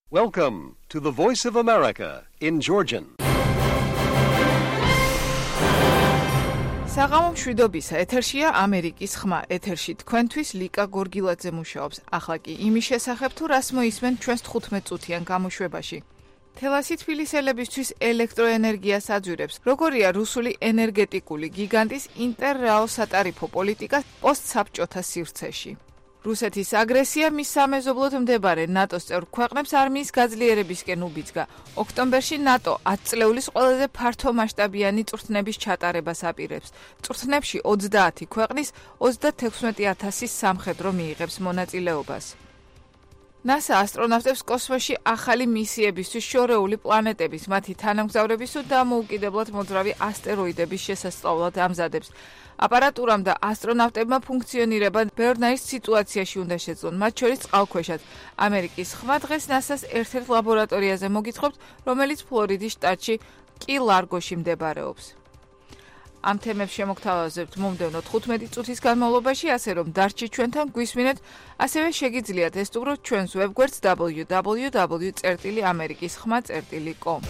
Welcome to the Voice of America in Georgian. საღამო მშვიდობისა, ეთერშია ამერიკის ხმა. ეთერში თქვენთვის ლიკა გორგილაძე მუშაობს. ახლა კი იმის შესახებ თუ რას მოისმენ ჩვენს 15 წუთიან გამოშვებაში. თელასი თბილისელებისთვის ელექტროენერგიას აძვირებს. როგორია რუსული ენერგეტიკული გიგანტის ინტერრაო სატარიფო პოლიტიკა პოსტსაბჭოთა სივრცეში. რუსეთის აგრესია მის სამეზობლოდ მდებარე ნატოს წევრ ქვეყნებს არმიის გაძლიერებისკენ უბიძგა. ოქტომბერში ნატო 10 წლეულის ყველაზე ფართო მასშტაბიანი წვრთნების ჩატარებას აპირებს. წვრთნებში 30 ქვეყნის 36,000 სამხედრო მიიღებს მონაწილეობას. NASA ასტრონავტებს კოსმოსში ახალი მისიებისთვის შორეული პლანეტების, მათი თანამგზავრების თუ დამოუკიდებლად მოძრავი ასტეროიდების შესასწავლად ამზადებს. აპარატურამ და ასტრონავტებმა ფუნქციონირება ბევრნაირ სიტუაციაში უნდა შეძლონ, მათ შორის წყალქვეშად. ამერიკის ხმა დღეს NASA-ს ერთ-ერთ ლაბორატორიაზე მოგითხრობთ, რომელიც ფლორიდის შტატში კი-ლარგოში მდებარეობს. ამ თემებს შემოგთავაზებთ მომდევნო 15 წუთის განმავლობაში, ასე რომ დარჩით ჩვენთან, გვისმინეთ, ასევე შეგიძლიათ ესტუმროთ ჩვენს ვებგვერდს www.amerikiskhma.com.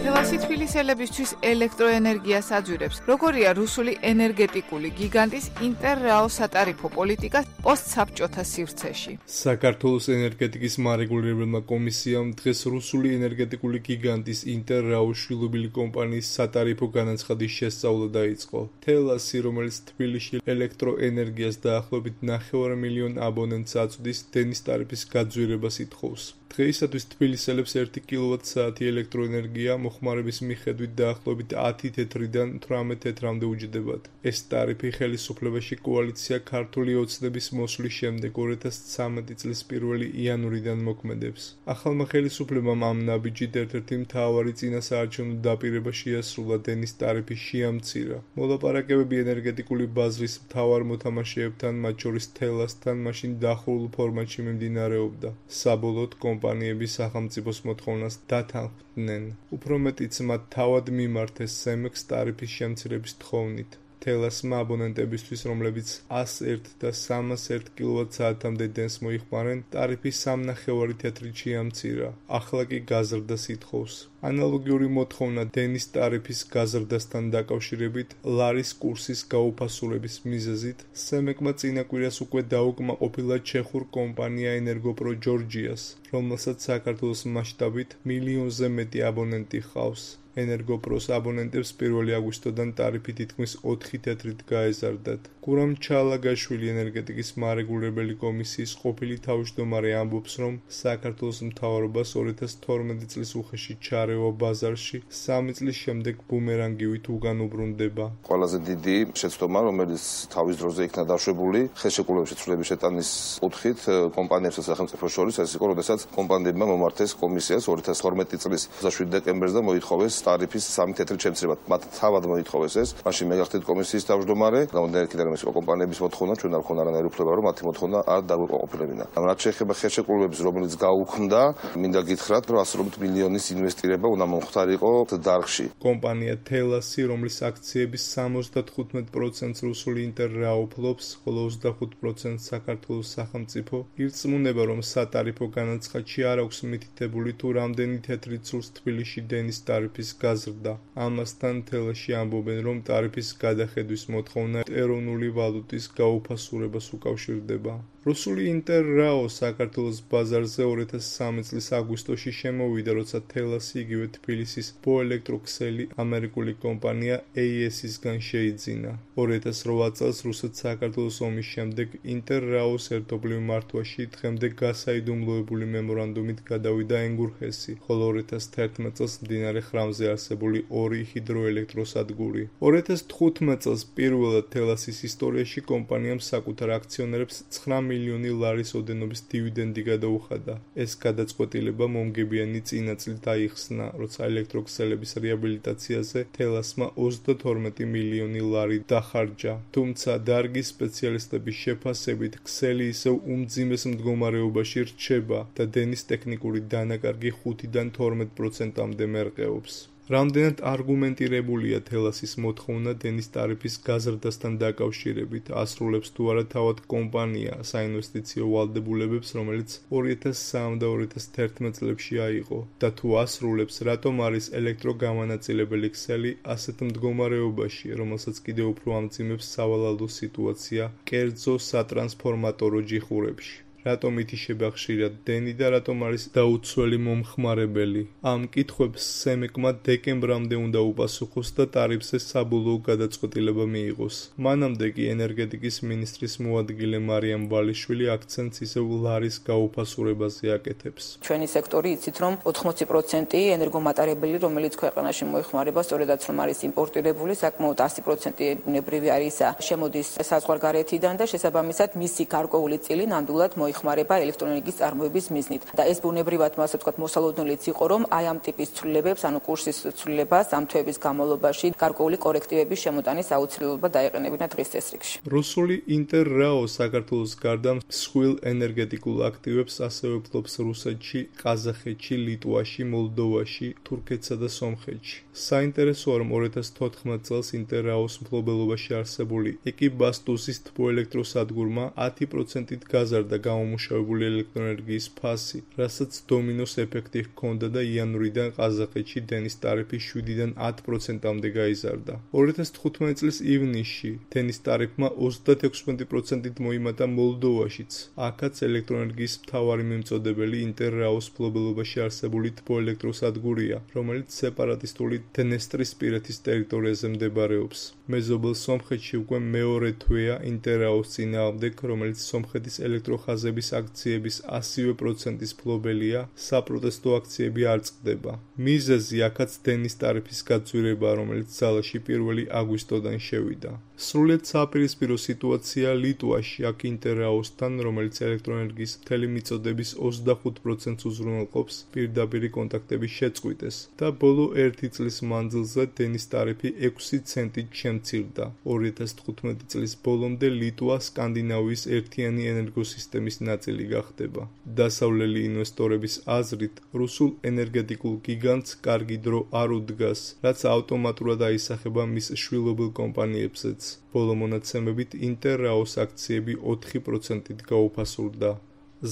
თელასი თბილისელებისთვის ელექტროენერგიას აძვირებს. როგორია რუსული ენერგეტიკული გიგანტის ინტერრაო სატარიფო პოლიტიკა პოსტსაბჭოთა სივრცეში. საქართველოს ენერგეტიკის მარეგულირებელმა კომისიამ დღეს რუსული ენერგეტიკული გიგანტის ინტერრაო შვილობილი კომპანიის სატარიფო განაცხადის შესწავლა დაიწყო. თელასი, რომელიც თბილისში ელექტროენერგიას დაახლოებით 9 მილიონ აბონენტს აწვდის, დენის ტარიფის გაძვირებას ითხოვს. დღეისათვის თბილისელებს 1 კილოვატ-საათი ელექტროენერგია მოხმარების მიხედვით დაახლოებით 10 თეთრიდან 18 თეთრამდე უჯდებათ. ეს ტარიფი ხელისუფლებაში კოალიცია ქართული ოცნების მოსვლის შემდეგ 2013 წლის 1 იანვრიდან მოქმედებს. ახალმა ხელისუფლებამ ამ ნაბიჯით ერთ-ერთი მთავარი წინასაარჩევნო დაპირება შეასრულა დენის ტარიფის შეამცირა. მოლაპარაკებები ენერგეტიკული ბაზრის მთავარ მოთამაშეებთან, მათ შორის თელასთან, მაშინ დახურულ ფორმატში მიმდინარეობდა. საბოლოოდ კომპანიების სახელმწიფოს მოთხოვნას დათანხმდნენ. უფრო მეტიც მათ თავად მიმართეს სემექს ტარიფის შემცირების თხოვნით. თელასმა აბონენტებისთვის, რომლებიც 101 და 301 კილოვატ-საათამდე დენს მოიხმარენ, ტარიფი 3.5 თეთრით შეამცირა. ახლა კი გაზრდას ითხოვს. ანალოგიური მოთხოვნა დენის ტარიფის გაზრდასთან დაკავშირებით ლარის კურსის გაუფასურების მიზეზით სემეკმა წინა კვირას უკვე დაუკმაყოფილა ჩეხურ კომპანია ენერგოპრო ჯორჯიას, რომელსაც საქართველოს მასშტაბით მილიონზე მეტი აბონენტი ჰყავს. ენერგოპროს აბონენტებს 1 აგვისტოდან ტარიფი თითქმის 4 თეთრით გაეზარდათ. გურამ ჩალაგაშვილი ენერგეტიკის მარეგულირებელი კომისიის ყოფილი თავმჯდომარე ამბობს, რომ საქართველოს მთავრობას 2012 წლის უხეში ჩარევა ბაზარში 3 წლის შემდეგ ბუმერანგივით უგან უბრუნდება. ყველაზე დიდი შეცდომა, რომელიც თავის დროზე იქნა დაშვებული, ხელშეკრულების შეცვლილების შეტანის კუთხით კომპანიებს და სახელმწიფოს შორის, ეს იყო, როდესაც კომპანიებმა მომართეს კომისიას 2012 წლის 27 დეკემბერს და მოითხოვეს ტარიფის 3 თეთრით შემცირება. მათ თავად მოითხოვეს ეს. მაშინ მე გახდით კომისიის თავმჯდომარე, გამოდიოდა ის იყო კომპანიების მოთხოვნა, ჩვენ არ ქონდა რანაირი უფლება, რომ მათი მოთხოვნა არ დაგვეკმაყოფილებინა. რაც შეეხება ხელშეკრულების, რომელიც გაუქმდა, მინდა გითხრათ, რომ 100 მილიონის ინვესტირება უნდა მომხდარიყო დარგში. კომპანია თელასი, რომლის აქციების 75%-ს რუსული ინტერრაო ფლობს, ხოლო 25%-ს საქართველოს სახელმწიფო, ირწმუნება, რომ სატარიფო განაცხადში არ აქვს მითითებული თუ რამდენი თეთრით სურს თბილისში დენის ტარიფის გაზრდა. ამასთან თელასში ამბობენ, რომ ტარიფის გადახედვის მოთხოვნა ეროვნული ვალუტის გაუფასურებას უკავშირდება. რუსული ინტერრაო საქართველოს ბაზარზე 2003 წლის აგვისტოში შემოვიდა, როცა თელასი იგივე თბილისის ბოელექტროქსელი ამერიკული კომპანია AES-ისგან შეიძინა. 2008 წელს რუსეთ-საქართველოს ომის შემდეგ ინტერრაოს ერთობლივ მართვაში დღემდე გასაიდუმლოებული მემორანდუმით გადავიდა ენგურხესი, ხოლო 2011 წელს მდინარე ხრამზე არსებული 2 ჰიდროელექტროსადგური. 2015 წელს პირველად თელასის ისტორიაში კომპანიამ საკუთარ აქციონერებს 9 მილიონი ლარის ოდენობის დივიდენდი გადაუხადა. ეს გადაწყვეტილება მომგებიანი წინა წლით აიხსნა, როცა ელექტროქსელების რეაბილიტაციაზე თელასმა 32 მილიონი ლარი დახარჯა. თუმცა დარგის სპეციალისტების შეფასებით ქსელი ისევ უმძიმეს მდგომარეობაში რჩება და დენის ტექნიკური დანაკარგი 5-დან 12%-მდე მერყეობს. რამდენად არგუმენტირებულია თელასის მოთხოვნა დენის ტარიფის გაზრდასთან დაკავშირებით, ასრულებს თუ არა თავად კომპანია საინვესტიციო ვალდებულებებს, რომელიც 2003 და 2011 წლებში აიღო და თუ ასრულებს, რატომ არის ელექტროგამანაწილებელი ქსელი ასეთ მდგომარეობაში, რომელსაც კიდევ უფრო ამძიმებს სავალალო სიტუაცია კერძო სატრანსფორმატორო ჯიხურებში. რატომ ითიშება ხშირად დენი და რატომ არის დაუცველი მომხმარებელი? ამ კითხვებს სემეკმა დეკემბრამდე უნდა უპასუხოს და ტარიფზე საბოლოო გადაწყვეტილება მიიღოს. მანამდე კი ენერგეტიკის მინისტრის მოადგილე მარიამ ვალიშვილი აქცენტს ისევ ლარის გაუფასურებაზე აკეთებს. ჩვენი სექტორი იცით რომ 80% ენერგომატარებელი, რომელიც ქვეყანაში მოიხმარება, სწორედაც რომ არის იმპორტირებული, საკმაოდ 100% ბუნებრივი არის შემოდის საზღვარგარეთიდან და შესაბამისად მისი გარკვეული წილი ნამდვილად მოიხმარება ელექტროენერგიის წარმოების მიზნით. და ეს ბუნებრივად ასე ვთქვათ მოსალოდნელიც იყო, რომ აი ამ ტიპის ცვლილებებს, ანუ კურსის ცვლილებას ამ თვეების განმავლობაში გარკვეული კორექტივების შემოტანის აუცილებლობა დაეყენებინა დღის წესრიგში. რუსული ინტერრაო საქართველოს გარდა მსხვილ ენერგეტიკულ აქტივებს ასევე ფლობს რუსეთში, ყაზახეთში, ლიტვაში, მოლდოვაში, თურქეთსა და სომხეთში. საინტერესოა, რომ 2014 წელს ინტერრაოს მფლობელობაში არსებული ეკიბასტუსის თბოელექტროსადგურმა 10%-ით გაზარდა გამომუშავებული ელექტროენერგიის ფასი, რასაც დომინოს ეფექტი ჰქონდა და იანვრიდან ყაზახეთში დენის ტარიფი 7-დან 10%-მდე გაიზარდა. 2015 წლის ივნისში დენის ტარიფმა 36%-ით მოიმატა მოლდოვაშიც. აქაც ელექტროენერგიის მთავარი მიმწოდებელი ინტერრაოს მფლობელობაში არსებული თბოელექტროსადგურია, რომელიც სეპარატისტული დნესტრისპირეთის ტერიტორიაზე მდებარეობს. მეზობელ სომხეთში უკვე მეორე თვეა ინტერრაოს წინააღმდეგ, რომელიც სომხეთის ელექტროხაზების აქციების 100%-ის მფლობელია, საპროტესტო აქციები არ წყდება. მიზეზი აქაც დენის ტარიფის გაწვირება, რომელიც ძალაში 1 აგვისტოდან შევიდა. სრულიად საპირისპირო სიტუაცია ლიტვაში, აქ ინტერრაოსთან, რომელიც ელექტროენერგიის მთელი მიწოდების 25%-ს უზრუნველყოფს, პირდაპირი კონტაქტების შეწყვიტეს და ბოლო 1 წლის მანძილზე დენის ტარიფი 6 ცენტით შემცირდა. 2015 წლის ბოლომდე ლიტვა სკანდინავიის ერთიანი ენერგოსისტემის ნაწილი გახდება. დასავლელი ინვესტორების აზრით, რუსულ ენერგეტიკულ გიგანტს კარგი დრო არ უდგას, რაც ავტომატურად აისახება მის შვილობილ კომპანიებზეც. ბოლო მონაცემებით ინტერრაოს აქციები 4%-ით გაუფასურდა.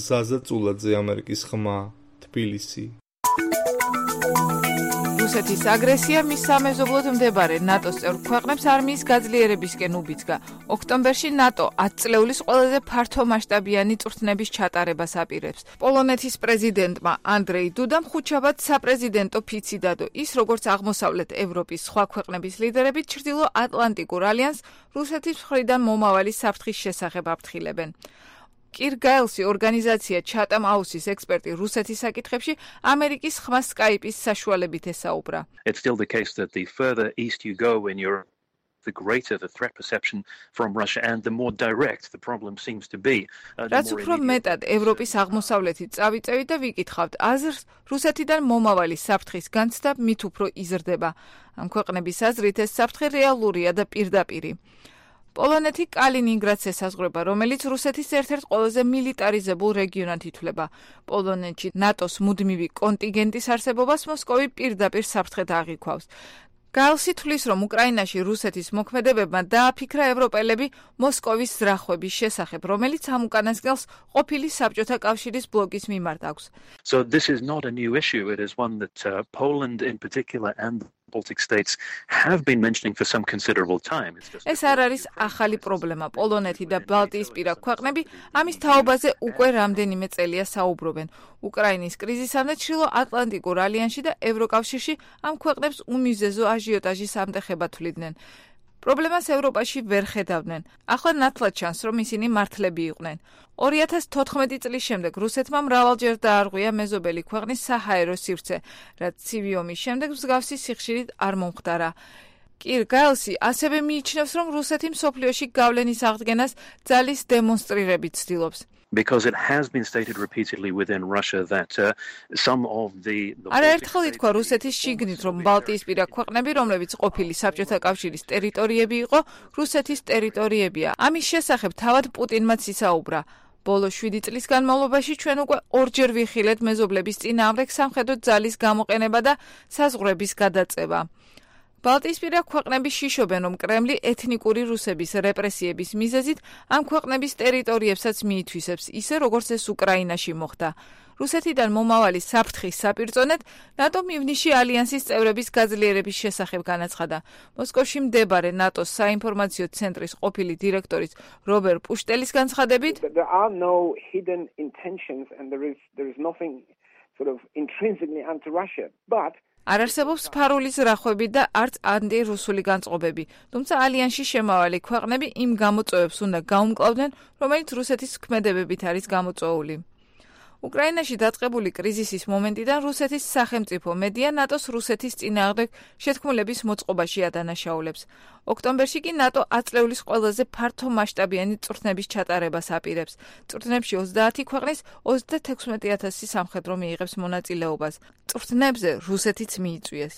ზაზა წულაძე, ამერიკის ხმა, თბილისი. რუსეთის აგრესია მის სამეზობლოდ მდებარე ნატოს წევრ ქვეყნებს არმიის გაძლიერებისკენ უბიძგა. ოქტომბერში ნატო 10 წლეულის ყველაზე ფართომასშტაბიანი წვრთნების ჩატარებას აპირებს. პოლონეთის პრეზიდენტმა ანდრეი დუდამ ხუთშაბათ საპრეზიდენტო ფიცი დადო. ის, როგორც აღმოსავლეთ ევროპის სხვა ქვეყნების ლიდერები, ჩრდილო ატლანტიკურ ალიანსს რუსეთის მხრიდან მომავალი საფრთხის შესახებ აფრთხილებენ. კირ გაელსი ორგანიზაცია ჩატამ აუსის ექსპერტი რუსეთის საკითხებში ამერიკის ხმა სკაიპის საშუალებით ესაუბრა. It's still the case that the further east you go in Europe, the greater the threat perception from Russia and the more direct the problem seems to be. რაც უფრო მეტად ევროპის აღმოსავლეთით წავიწევით და ვიკითხავთ აზრს, რუსეთიდან მომავალი საფრთხის განცდა მით უფრო იზრდება. ამ ქვეყნების აზრით ეს საფრთხე რეალურია და პირდაპირი. პოლონეთი კალინინგრადს ესაზღვრება, რომელიც რუსეთის ერთ-ერთ ყველაზე მილიტარიზებულ რეგიონად ითვლება. პოლონეთში ნატოს მუდმივი კონტინგენტის არსებობას მოსკოვი პირდაპირ საფრთხედ აღიქვავს. გაელსი თვლის, რომ უკრაინაში რუსეთის მოქმედებებმა დააფიქრა ევროპელები მოსკოვის ზრახვების შესახებ, რომელიც ამ უკანასკნელს ყოფილი საბჭოთა კავშირის ბლოკის მიმართ აქვს. So this is not a new issue. It is one that Poland in particular and Baltic states have been mentioning for some considerable time. ეს არ არის ახალი პრობლემა. პოლონეთი და ბალტიისპირა ქვეყნები ამის თაობაზე უკვე რამდენიმე წელია საუბრობენ. უკრაინის კრიზისამდე ჩრდილო ატლანტიკურ ალიანსში და ევროკავშირში ამ ქვეყნებს უმიზეზო აჟიოტაჟის ამტეხება თვლიდნენ. პრობლემას ევროპაში ვერ ხედავდნენ. ახლა ნათლად ჩანს, რომ ისინი მართლები იყვნენ. 2014 წლის შემდეგ რუსეთმა მრავალჯერ დაარღვია მეზობელი ქვეყნის საჰაერო სივრცე, რაც ცივი ომის შემდეგ მსგავსი სიხშირით არ მომხდარა. კირ გაელსი ასევე მიიჩნევს, რომ რუსეთი მსოფლიოში გავლენის აღდგენას ძალის დემონსტრირებით ცდილობს. Because it has been stated repeatedly within Russia that some of the არაერთხელ ითქვა რუსეთის შიგნით, რომ ბალტიისპირა ქვეყნები, რომლებიც ყოფილი საბჭოთა კავშირის ტერიტორიები იყო, რუსეთის ტერიტორიებია. ამის შესახებ თავად პუტინმაც ისაუბრა. ბოლო 7 წლის განმავლობაში ჩვენ უკვე ორჯერ ვიხილეთ მეზობლების წინააღმდეგ სამხედრო ძალის გამოყენება და საზღვრების გადაწევა. ბალტიისპირა ქვეყნები შიშობენ, რომ კრემლი ეთნიკური რუსების რეპრესიების მიზეზით ამ ქვეყნების ტერიტორიებსაც მიითვისებს, ისე როგორც ეს უკრაინაში მოხდა. რუსეთიდან მომავალი საფრთხის საპირწონედ ნატომ ივნისში ალიანსის წევრების გაძლიერების შესახებ განაცხადა. მოსკოვში მდებარე ნატოს საინფორმაციო ცენტრის ყოფილი დირექტორის რობერ პუშტელის განცხადებით, there are no hidden intentions and there is nothing sort of intrinsically anti-Russia, but არ არსებობს ფარული ზრახვები და არც ანტირუსული განწყობები, თუმცა ალიანსში შემავალი ქვეყნები იმ გამოწვევებს უნდა გაუმკლავდნენ, რომელიც რუსეთის ქმედებებით არის გამოწვეული. უკრაინაში დაწყებული კრიზისის მომენტიდან რუსეთის სახელმწიფო მედია ნატოს რუსეთის წინააღმდეგ შეთქმულების მოწყობაში ადანაშაულებს. ოქტომბერში კი ნატო აწლეულის ყველაზე ფართო მასშტაბიანი წვრთნების ჩატარებას აპირებს. წვრთნებში 30 ქვეყნის 36,000 სამხედრო მიიღებს მონაწილეობას. წვრთნებზე რუსეთიც მიიწვიეს.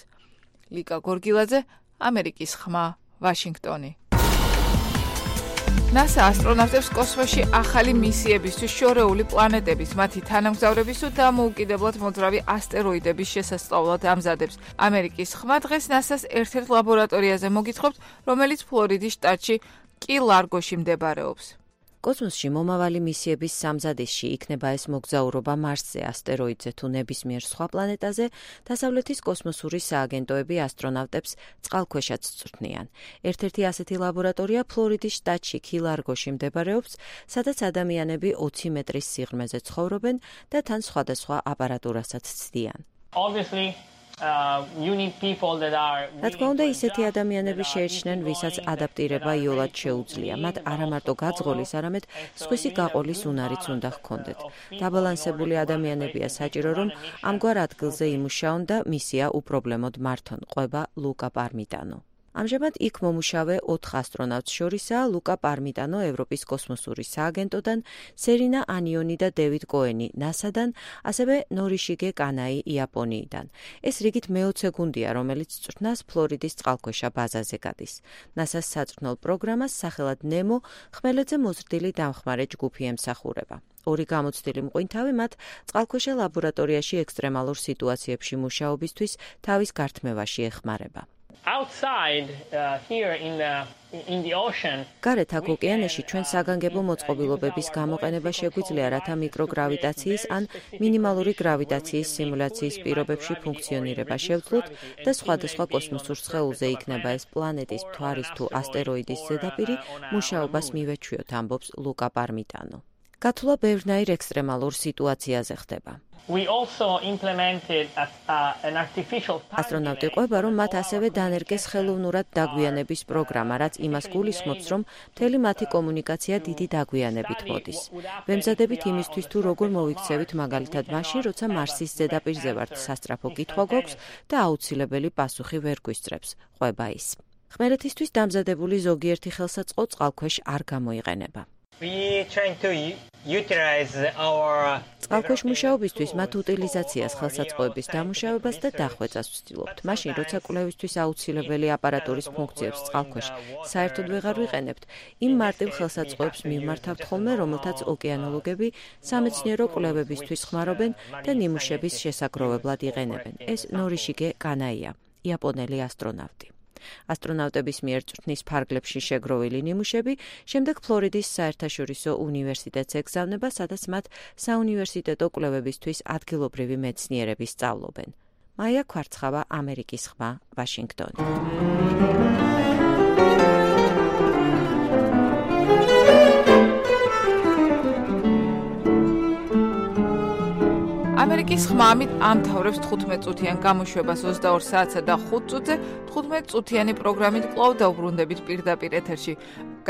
ლიკა გორგილაძე, ამერიკის ხმა, ვაშინგტონი. NASA ასტრონავტებს კოსმოსში ახალი მისიებისთვის შორეული პლანეტების, მათი თანამგზავრების თუ დამოუკიდებლად მოძრავი ასტეროიდების შესასწავლად ამზადებს. ამერიკის ხმა დღეს NASA-ს ერთ-ერთ ლაბორატორიაზე მოგითხრობთ, რომელიც ფლორიდის შტატში კი-ლარგოში მდებარეობს. კოსმოსში მომავალი მისიების სამზადისში იქნება ეს მოგზაურობა მარსზე, ასტეროიდზე თუ ნებისმიერ სხვა პლანეტაზე, დასავლეთის კოსმოსური სააგენტოები ასტრონავტებს წყალქვეშაც წვრთნიან. ერთ-ერთი ასეთი ლაბორატორია ფლორიდის შტატში კი-ლარგოში მდებარეობს, სადაც ადამიანები 20 მეტრის სიღრმეზე ცხოვრობენ და თან სხვადასხვა აპარატურასაც ცდიან. რა თქმა უნდა, ისეთი ადამიანები შეირჩნენ, ვისაც ადაპტირება იოლად შეუძლია. მათ არა მარტო გაძღოლის, არამედ სხვისი გაყოლის უნარიც უნდა ჰქონდეთ. დაბალანსებული ადამიანებია საჭირო, რომ ამგვარ ადგილზე იმუშაონ და მისია უპრობლემოდ მართონ, ყვება ლუკა პარმიტანო. ამჟამად იქ მომუშავე 4 ასტრონავტს შორისაა ლუკა პარმიტანო ევროპის კოსმოსური სააგენტოდან, სერინა ანიონი და დევიდ კოენი NASA-დან, ასევე ნორიშიგე კანაი იაპონიიდან. ეს რიგით მე-20 გუნდია, რომელიც წვრთნას ფლორიდის წყალქვეშა ბაზაზე გადის. NASA-ს საწვრთნელ პროგრამას სახელად ნემო ხმელეთზე მოზრდილი დამხმარე ჯგუფი ემსახურება. ორი გამოცდილი მყინთავი მათ წყალქვეშა ლაბორატორიაში ექსტრემალურ სიტუაციებში მუშაობისთვის თავის გართმევაში ეხმარება. გარეთ აქ ოკეანეში ჩვენ საგანგებო მოწყობილობების გამოყენება შეგვიძლია, რათა მიკროგრავიტაციის ან მინიმალური გრავიტაციის სიმულაციის პირობებში ფუნქციონირება შევძლოთ და სხვადასხვა კოსმოსურ სხეულზე იქნება ეს პლანეტის, მთვარის თუ ასტეროიდის ზედაპირი, მუშაობას მივეჩვიოთ, ამბობს ლუკა პარმიტანო. გათვლა ბევრნაირ ექსტრემალურ სიტუაციაზე ხდება. ასტრონავტი ყვება, რომ მათ ასევე დანერგეს ხელოვნურად დაგვიანების პროგრამა, რაც იმას გულისხმობს, რომ მთელი მათი კომუნიკაცია დიდი დაგვიანებით მოდის. ვემზადებით იმისთვის, თუ როგორ მოვიქცევით მაგალითად მაშინ, როცა მარსის ზედაპირზე ვართ, სასწრაფო კითხვა გვაქვს და აუცილებელი პასუხი ვერ გვისწრებს, ყვება ის. ხმელეთისთვის დამზადებული ზოგიერთი ხელსაწყო წყალქვეშ არ გამოიყენება. წყალქვეშ მუშაობისთვის მათ უტილიზაციას, ხელსაწყოების დამუშავებას და დახვეწას ვცდილობთ. მაშინ, როცა კვლევისთვის აუცილებელი აპარატურის ფუნქციებს წყალქვეშ საერთოდ ვეღარ ვიყენებთ, იმ მარტივ ხელსაწყოებს მივმართავთ ხოლმე, რომელთაც ოკეანოლოგები სამეცნიერო კვლევებისთვის ხმარობენ და ნიმუშების შესაგროვებლად იყენებენ. ეს ნორიშიგე კანაია, იაპონელი ასტრონავტი. ასტრონავტების მიერ წვრთნის ფარგლებში შეგროვილი ნიმუშები შემდეგ ფლორიდის საერთაშორისო უნივერსიტეტს ეგზავნება, სადაც მათ საუნივერსიტეტო კვლევებისთვის ადგილობრივი მეცნიერები სწავლობენ. მაია ქვარცხავა, ამერიკის ხმა, ვაშინგტონი. ამერიკის ხმა ამთავრებს 15 წუთიან გამოშვებას 22 საათსა და 5 წუთზე 15 წუთიანი პროგრამით კვლავ დაუბრუნდებით პირდაპირ ეთერში.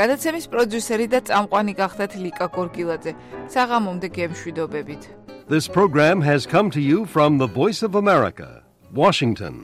გადაცემის პროდიუსერი და წამყვანი გახდათ ლიკა გორგილაძე. საღამომდე გემშვიდობებით. This program has come to you from the Voice of America, Washington.